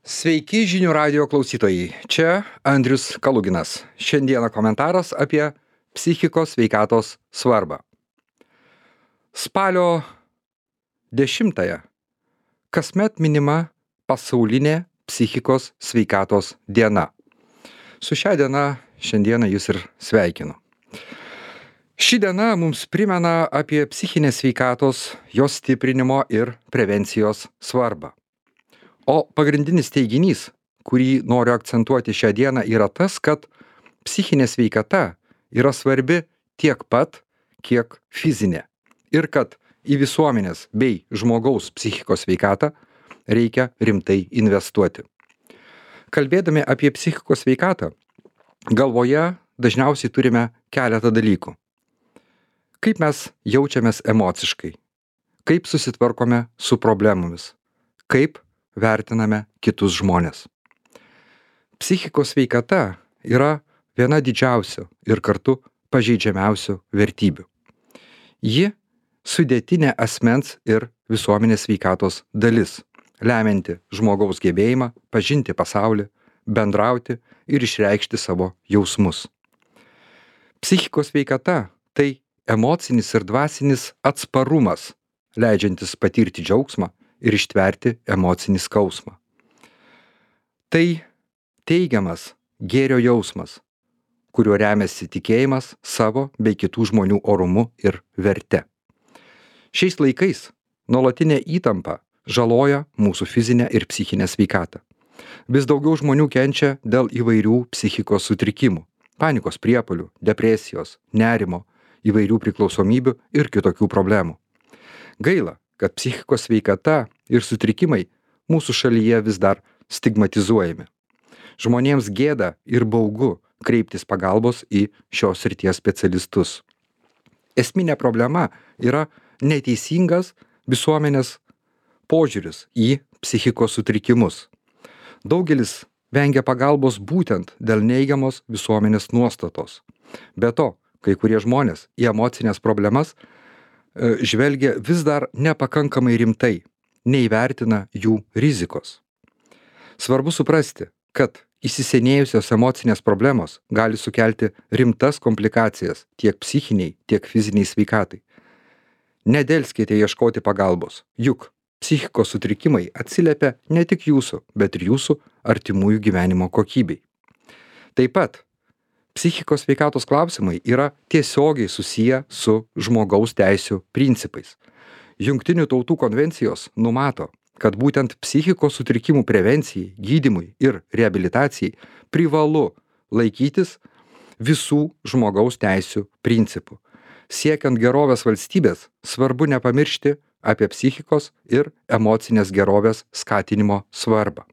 Sveiki žinių radio klausytojai. Čia Andrius Kaluginas. Šiandieną komentaras apie psichikos sveikatos svarbą. Spalio 10-ąją kasmet minima pasaulinė psichikos sveikatos diena. Su šia diena šiandieną jūs ir sveikinu. Ši diena mums primena apie psichinės sveikatos, jos stiprinimo ir prevencijos svarbą. O pagrindinis teiginys, kurį noriu akcentuoti šią dieną, yra tas, kad psichinė sveikata yra svarbi tiek pat, kiek fizinė. Ir kad į visuomenės bei žmogaus psichikos sveikatą reikia rimtai investuoti. Kalbėdami apie psichikos sveikatą, galvoje dažniausiai turime keletą dalykų. Kaip mes jaučiamės emociškai, kaip susitvarkome su problemomis, kaip vertiname kitus žmones. Psichikos sveikata yra viena didžiausių ir kartu pažeidžiamiausių vertybių. Ji sudėtinė asmens ir visuomenės sveikatos dalis, lemianti žmogaus gebėjimą pažinti pasaulį, bendrauti ir išreikšti savo jausmus. Psichikos sveikata tai emocinis ir dvasinis atsparumas, leidžiantis patirti džiaugsmą ir ištverti emocinį skausmą. Tai teigiamas gėrio jausmas, kuriuo remiasi tikėjimas savo bei kitų žmonių orumu ir verte. Šiais laikais nuolatinė įtampa žaloja mūsų fizinę ir psichinę sveikatą. Vis daugiau žmonių kenčia dėl įvairių psichikos sutrikimų, panikos priepuolių, depresijos, nerimo, įvairių priklausomybių ir kitokių problemų. Gaila, kad psichikos sveikata ir sutrikimai mūsų šalyje vis dar stigmatizuojami. Žmonėms gėda ir baugu kreiptis pagalbos į šios srities specialistus. Esminė problema yra neteisingas visuomenės požiūris į psichikos sutrikimus. Daugelis vengia pagalbos būtent dėl neigiamos visuomenės nuostatos. Be to, kai kurie žmonės į emocinės problemas žvelgia vis dar nepakankamai rimtai, neįvertina jų rizikos. Svarbu suprasti, kad įsisenėjusios emocinės problemos gali sukelti rimtas komplikacijas tiek psichiniai, tiek fiziniai sveikatai. Nedelskite ieškoti pagalbos, juk psichikos sutrikimai atsiliepia ne tik jūsų, bet ir jūsų artimųjų gyvenimo kokybei. Taip pat psichikos sveikatos klausimai yra tiesiogiai susiję su žmogaus teisių principais. Jungtinių tautų konvencijos numato, kad būtent psichikos sutrikimų prevencijai, gydymui ir reabilitacijai privalu laikytis visų žmogaus teisių principų. Siekiant gerovės valstybės, svarbu nepamiršti apie psichikos ir emocinės gerovės skatinimo svarbą.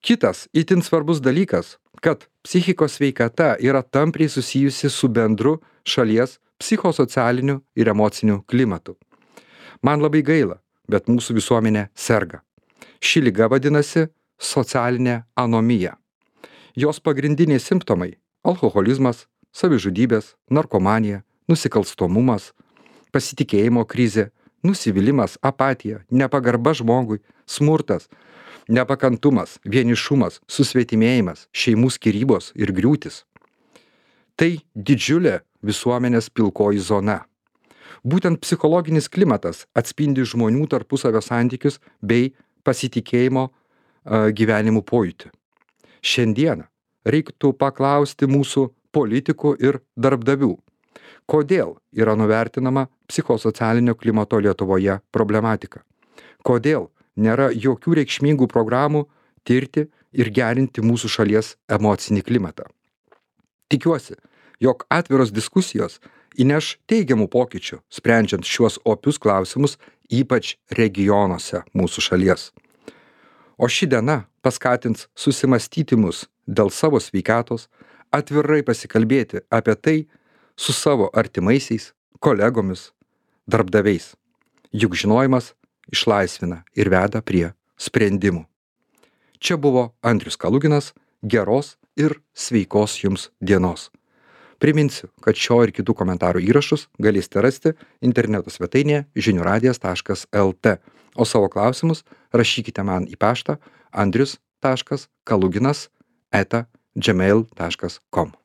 Kitas itin svarbus dalykas, kad psichikos sveikata yra tampriai susijusi su bendru šalies psichosocialiniu ir emociniu klimatu. Man labai gaila, bet mūsų visuomenė serga. Ši liga vadinasi socialinė anomija. Jos pagrindiniai simptomai - alkoholizmas, savižudybės, narkomanija, nusikalstamumas, pasitikėjimo krizė, nusivylimas, apatija, nepagarba žmogui, smurtas, nepakantumas, vienišumas, susvetimėjimas, šeimų skyrybos ir griūtis. Tai didžiulė visuomenės pilkoji zona. Būtent psichologinis klimatas atspindi žmonių tarpusavio santykius bei pasitikėjimo gyvenimu pojūtį. Šiandieną reiktų paklausti mūsų politikų ir darbdavių, kodėl yra nuvertinama psichosocialinio klimato Lietuvoje problematika. Kodėl nėra jokių reikšmingų programų tirti ir gerinti mūsų šalies emocinį klimatą. Tikiuosi, jog atviros diskusijos įneš teigiamų pokyčių, sprendžiant šiuos opius klausimus, ypač regionuose mūsų šalies. O ši diena paskatins susimąstyti mus dėl savo sveikatos, atvirai pasikalbėti apie tai su savo artimaisiais, kolegomis, darbdaviais. Juk žinojimas išlaisvina ir veda prie sprendimų. Čia buvo Andrius Kaluginas, geros ir sveikos jums dienos. Priminsiu, kad šio ir kitų komentarų įrašus galėsite rasti interneto svetainėje žiniųradijas.lt, o savo klausimus rašykite man į paštą andrius.kaluginas@gmail.com.